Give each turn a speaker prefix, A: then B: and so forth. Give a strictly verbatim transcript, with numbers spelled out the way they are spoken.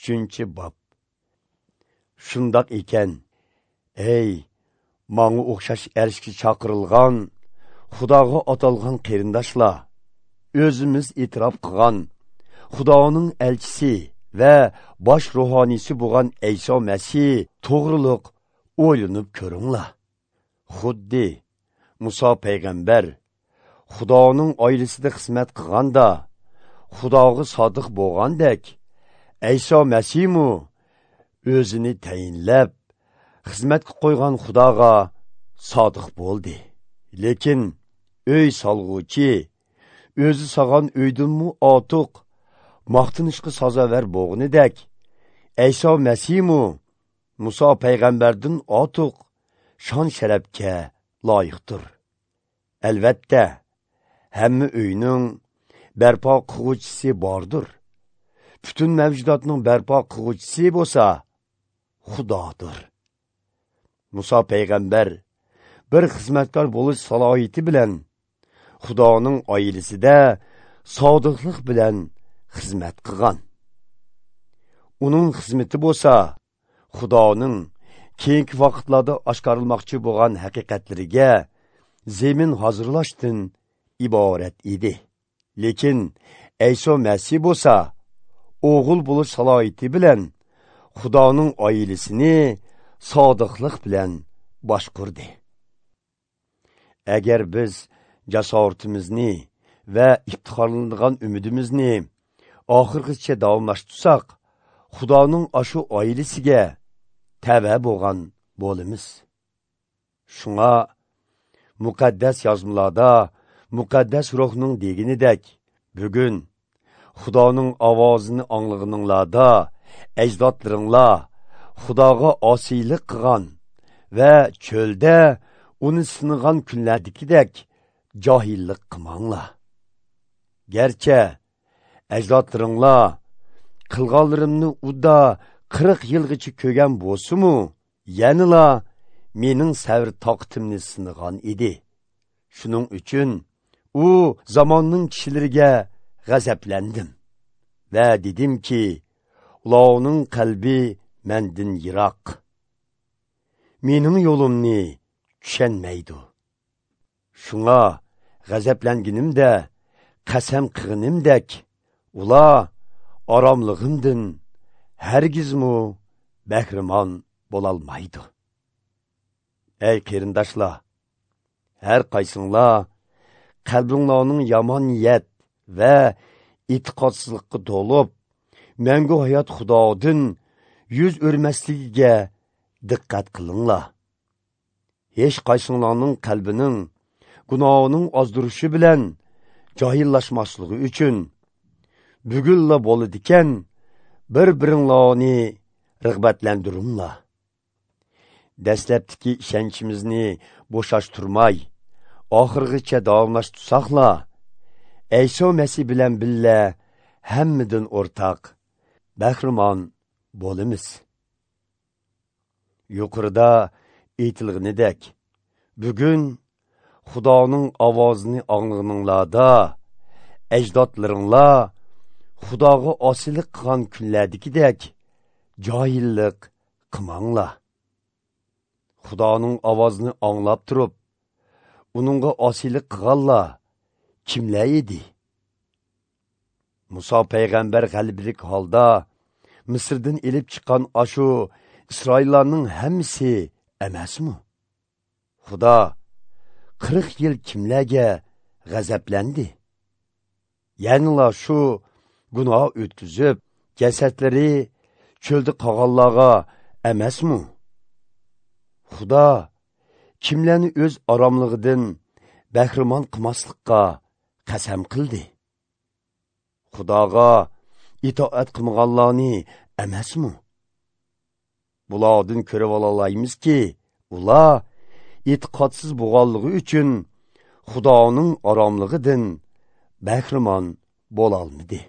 A: Uchinchi bob. Shundoq ekan, ey manga o'xshash erishga chaqirilgan, Xudoga atalgan qarindoshlar, o'zimiz e'tirof qilgan Xudoning elchisi va bosh ruhoniysi bo'lgan Ayso Masih to'g'riliq o'ylanib ko'ringlar. Xuddi Muso payg'ambar Xudoning oilasida xizmat qilganda Xudoga sodiq bo'lgandek, Ayso Masihmu o'zini tayinlab xizmatga qo'ygan Xudoga sodiq bo'ldi. Lekin uy solg'uvchi o'zi solgan uydinmu ortiq maqtanishga sazovar bo'g'inidek, Ayso Masihmu Muso payg'ambardan ortiq shon sharafga loyiqdir. Albatta, hamma uyning barpo qilg'uvchisi bordir. Bütün mavjudotning barpo qilg'uvchisi bo'lsa Xudodir. Muso payg'ambar bir xizmatkor bo'lish salohiyati bilan Xudoning oilasida sodiqlik bilan xizmat qilgan. Uning xizmati bo'lsa Xudoning keyingi vaqtlarda oshkorilmoqchi bo'lgan haqiqatlariga zemin hozirlashdan iborat edi. Lekin Ayso Masih bo'lsa o'g'il bo'lish salohiyati bilan Xudoning oilasini sodiqlik bilan boshqurdi. Agar biz jasoratimizni va iftixorlanadigan umidimizni oxirgacha davomlashtirsak, Xudoning ashu oilasiga tava bo'lgan bo'lamiz. Shunga muqaddas yozmalarda muqaddas ruhning deganidek, bugun Xudoning ovozini anglag'ininglarda ajdodlaringlar Xudoga osiylik qilgan va cho'lda uni sinagan kunlardagidek johillik qilmanglar. Garchi ajdodlaringlar qilganlarimni uda qirq yilgacha ko'rgan bo'lsa-mu, yanala mening sabr toqatimni sinagan edi. Shuning uchun u zamonning kishilariga g'azablandim va dedimki, ularning qalbi mendan yiroq, mening yo'limni tushunmaydi. Shunga g'azablanganimda qasam qilganimdek, ular oromlig'imdan hargizmu bahramon bo'lolmaydi. Ey qarindoshlar, har qaysinglar qalbinglarning yomon niyat va e'tiqodsizlikqa to'lib, mangu hayot Xudodan yuz o'rmasligiga diqqat qilinglar. Hech qaysinglarning qalbining gunohining ozdirishi bilan johillashmasligi uchun bugunla bo'ladigan bir-biringlarni rag'batlantiringlar. Dastlabki ishonchimizni bo'shashtirmay, oxirgacha davomlashtirsaqla, Ayso Masih bilan billa hammadan o'rtaq bahramon bo'lamiz. Yuqorida aytilganidek, bugun Xudoning ovozini anglag'ininglarda ajdodlaringlar Xudoga osiylik qilgan kunlardagidek johillik qilmanglar. Xudoning ovozini anglab turib, uningga osiylik qilganlar kimlar edi? Muso payg'ambar g'alabalik holda Misrdan elib chiqqan ashu Isroillarning hammasi emasmi? Xudo qirq yil kimlarga g'azablandi? Yanila shu gunoh o'tkazib, jasadlari cho'lda qolganlarga emasmi? Xudo kimlarni o'z oromlig'idan bahramon qilmaslikqa qasam qildi? Xudoga itoat qilmaganlarni emasmi? Bulardan ko'rib olaymizki, ular e'tiqodsiz bo'lganligi uchun Xudoning oromlig'idan bahramon bo'lolmadi.